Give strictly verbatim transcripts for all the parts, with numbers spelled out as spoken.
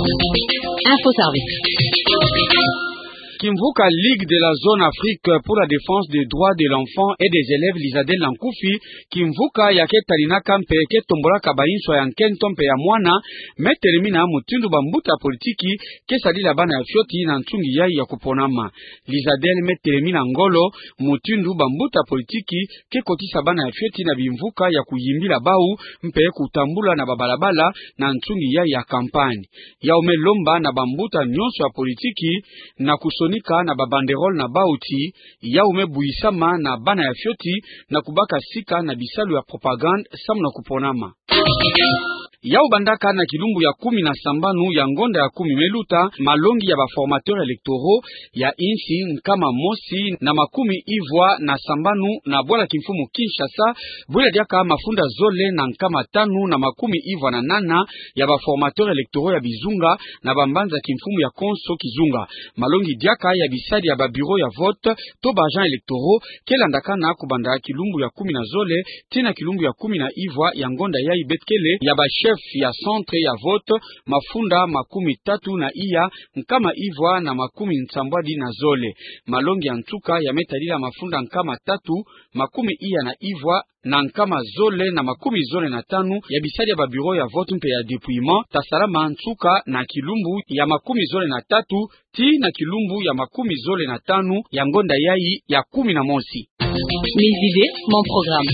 Info Service. Kimvuka Ligue de la Zone Afrique pour la Défense des Droits de l'Enfant et des Élèves, Lizadel na nkufi, kimvuka ya ke talinaka mpe ke tombolaka bansoni ya nkento mpe ya mwana, me telemina mutindu bambuta politiki ke sadila bana ya fioti na nsungi yai ya kuponama. Lizadel me telemina ngolo mutindu bambuta politiki ke kotisa bana ya fioti na bimvuka ya kuyimbila bau mpe kutambula na babalabala na nsungi yai ya kampanye. Yau me lomba na bambuta nyonso ya politiki na kusonika na babanderole na bau ti yau me buyisama na bana ya fioti na kubaka sika na bisalu ya propagande samu na kuponama. Yau bandaka na kilumbu ya kumi na sambanu ya ngonda ya kumi me luta, malongi ya ba formateurs électoraux ya insi nkama mosi na makumi ivwa na sambanu na bwala kimfumu Kinshasa, bwela diaka mafunda zole na nkama tanu na makumi ivwa na nana ya ba formateurs électoraux ya bizunga na bambanza kimfumu ya konso kizunga. Malongi diaka ya bisadi ya ba bureaux ya vote to ba agents électoraux ke landakana kubanda kilumbu ya kumi na zole tii na kilumbu ya kumi na ivwa ya ngonda yai, beto kele ya ba chefs ya centre ya vote mafunda makumi tatu na iya nkama ivwa na makumi nsambwadi na zole. Malongi ya nsuka ya me tadila mafunda nkama tatu makumi iya na ivwa na nkama zole na makumi zole na tanu ya bisadi ya ba bureaux ya vote mpe ya dépouillement, tasalama nsuka na kilumbu ya makumi zole na tatu tii na kilumbu ya makumi zole na tanu ya ngonda yai ya kumi na mosi. Mes idées, mon programme.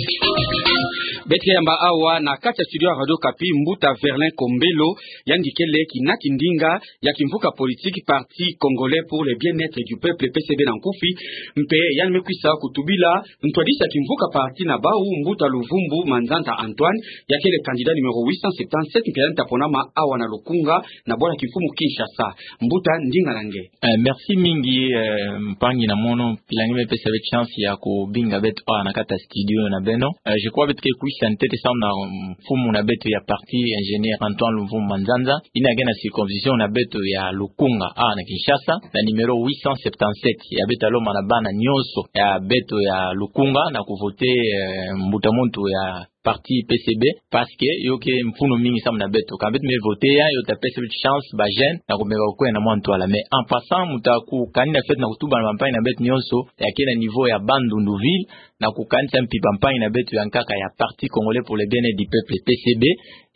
Beto ke yamba awa na kati ya studio ya Radio Okapi mbuta Verlin Kombelo, yandi kele kina kindinga ya kimvuka politique Parti Congolais pour le Bien-être du Peuple, P C B na nkufi, mpe yandi me kwisa kutubila ntwadisi ya kimvuka parti na bau, mbuta Luvumbu Manzanza Antoine, ya kele candidat numéro huit cent septante-sept, mpe yandi ta ponama awa na Lukunga na bwala kimfumu Kinshasa. Mbuta, ndinga na nge. Eh, merci mingi, eh, mpangi na mono, mpila nge me pesa beto chance ya kubinga beto awa na kati ya studio na beno. Eh, je crois beto ke kwisa ntete samu na mfumu na beto ya parti, ingénieur Antoine Luvumbu Manzanza, yina ke na circonscription na beto ya Lukunga, awa na Kinshasa, na numéro huit cent septante-sept, ya beto ta lomba na bana nyonso ya beto ya Lukunga na kuvoter, eh, mbuta muntu ya parti P C B, parce que yo ke mfunu mingi samu na beto. Ka beto me voter ya, yo ta pesa beto chance, ba jeunes, na kumeka kukwenda mwa ntwala. Mais en passant, mu ta kukanina fete na kutuba na bampangi na beto nyonso ya ke na niveau ya Bandundu ville, na kukanisa mpi bampangi na beto ya nkaka ya Parti Congolais pour le Bien-être du Peuple, P C B,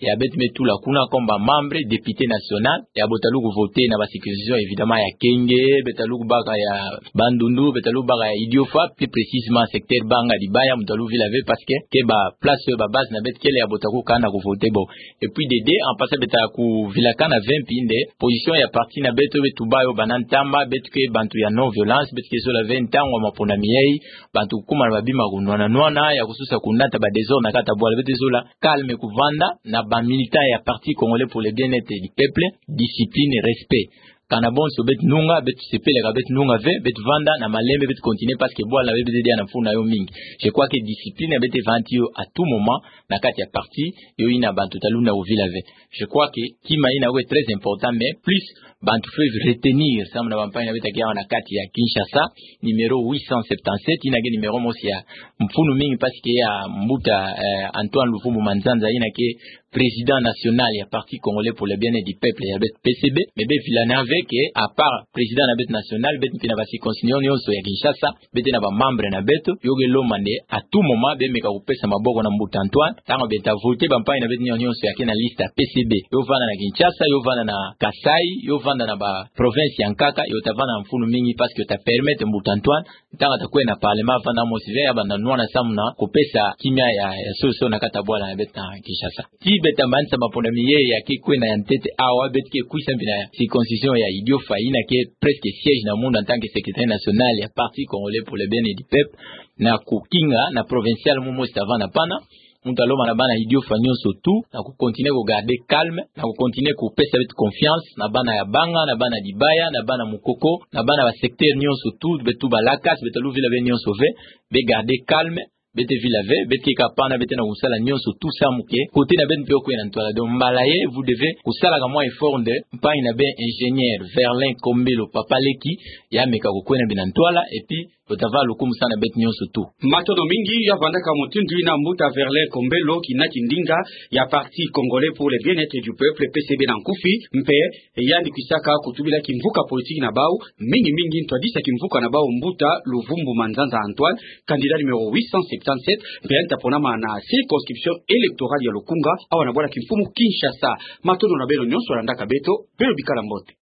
ya beto me tula kuna comme ba membre, député national, ya bo ta lu kuvoter na ba circonscription évidemment ya Kenge, beto ta lu kubaka ya Bandundu, beto ta lu kubaka ya Idiofa, plus précisément secteur Banga Dibaya, mu ta lu vila ve, parce que ke ba place, ba base na beto kele ya bo ta kukana kuvoter bo. Et puis de deux, en passant beto ta kuvilakana ve mpi nde position ya parti na beto, beto tuba yo banda ntama, beto ke bantu ya non-violence, beto ke zola ve ntangu ya maponami yai bantu kukuma na ba bima kunwana nwana, ya kususa kunata ba désordre na kati ya bwala, beto zola calme, kuvanda na ba militants ya Parti Congolais pour le Bien-être du Peuple, discipline, respect. Kana bonso beto nunga, beto sepelaka, beto nunga ve, beto vanda na malembe, beto continuer, parce que bwala na beto, beto dia na mfunu na yo mingi. Je crois que discipline ya beto vandi yo à tout moment na kati ya parti, yo yina bantu ta lunda kuvila ve. Je crois que kima yina ke très important, mais plus bantu fweti retenir samu na bampangi na beto ya ke awa na kati ya Kinshasa, numéro huit cent septante-sept, yina ke numéro mosi ya mfunu mingi, parce que ya mbuta, eh, Antoine Luvumbu Manzanza, yina ke président national ya Parti Congolais pour le Bien-être du Peuple, ya beto P C B, mais be vilana ve que, à part président na beto national, beto mpi na ba circonscription nyonso ya Kinshasa, beto na ba membre na beto, yo ke lomba nde à tout moment be meka kupesa maboko na mbuta Antoine, ntangu beto ta voter bampangi na beto nyonso ya ke na liste ya P C B. Yo vanda na Kinshasa, yo vanda na Kasaï, yo vanda na ba province ya nkaka, yo ta vanda na mfunu mingi, parce que yo ta permettre mbuta Antoine, ntangu ta kwenda na parlement, vanda mosi ve, ya banda nwana samu na kupesa kimia ya, ya solution na kati ya bwala na beto na Kinshasa. Ti beto ta manisa maponami yai ya ke kwenda ya ntete awa, beto ke kwisa mpi na circonscription ya Idiofa, yina ke presque siège na munda en tant que secrétaire national ya Parti Congolais pour le Bien-être du Peuple, na kukinga na provincial mu mosi ta vanda pana. Mu ta lomba na bana Idiofa nyonso tout na kucontinuer kugarder calme, na kucontinuer kupesa beto confiance, na bana ya Banga, na bana Dibaya, na bana Mukoko, na bana ba secteur nyonso tout, beto ba Lakas, beto ta lu vila ve nyonso ve, be garder calme, beto vila ve, beto ke ka pana, beto na kusala nyonso tout samu que côté na beto mpe yo kwenda na ntwala. Donc mbala yai, vous devez kusala ka mwa effort nde mpangi na beno ingénieur Verlin Kombelo, papa leki, ya meka kukwenda mbi na ntwala, et puis Otava lukumbu sa na beto nyonso tu. Matondo mingi. Ya vandaka mutindu ina mbuta Verlin Kombelo, kina kindinga ya Parti Congolais pour le Bien-être du Peuple, P C B na nkufi, mpe yandi kwisaka kutubila kimvuka politiki na bau, mingi mingi ntwadisa kimvuka na bau mbuta Luvumbu Manzanza Antoine, candidat numéro huit cent septante-sept, mpe yandi ta ponama na circonscription électorale ya Lukunga, awa na bwala kimfumu Kinshasa. Matondo na beno nyonso landaka beto, beno bikala mbote.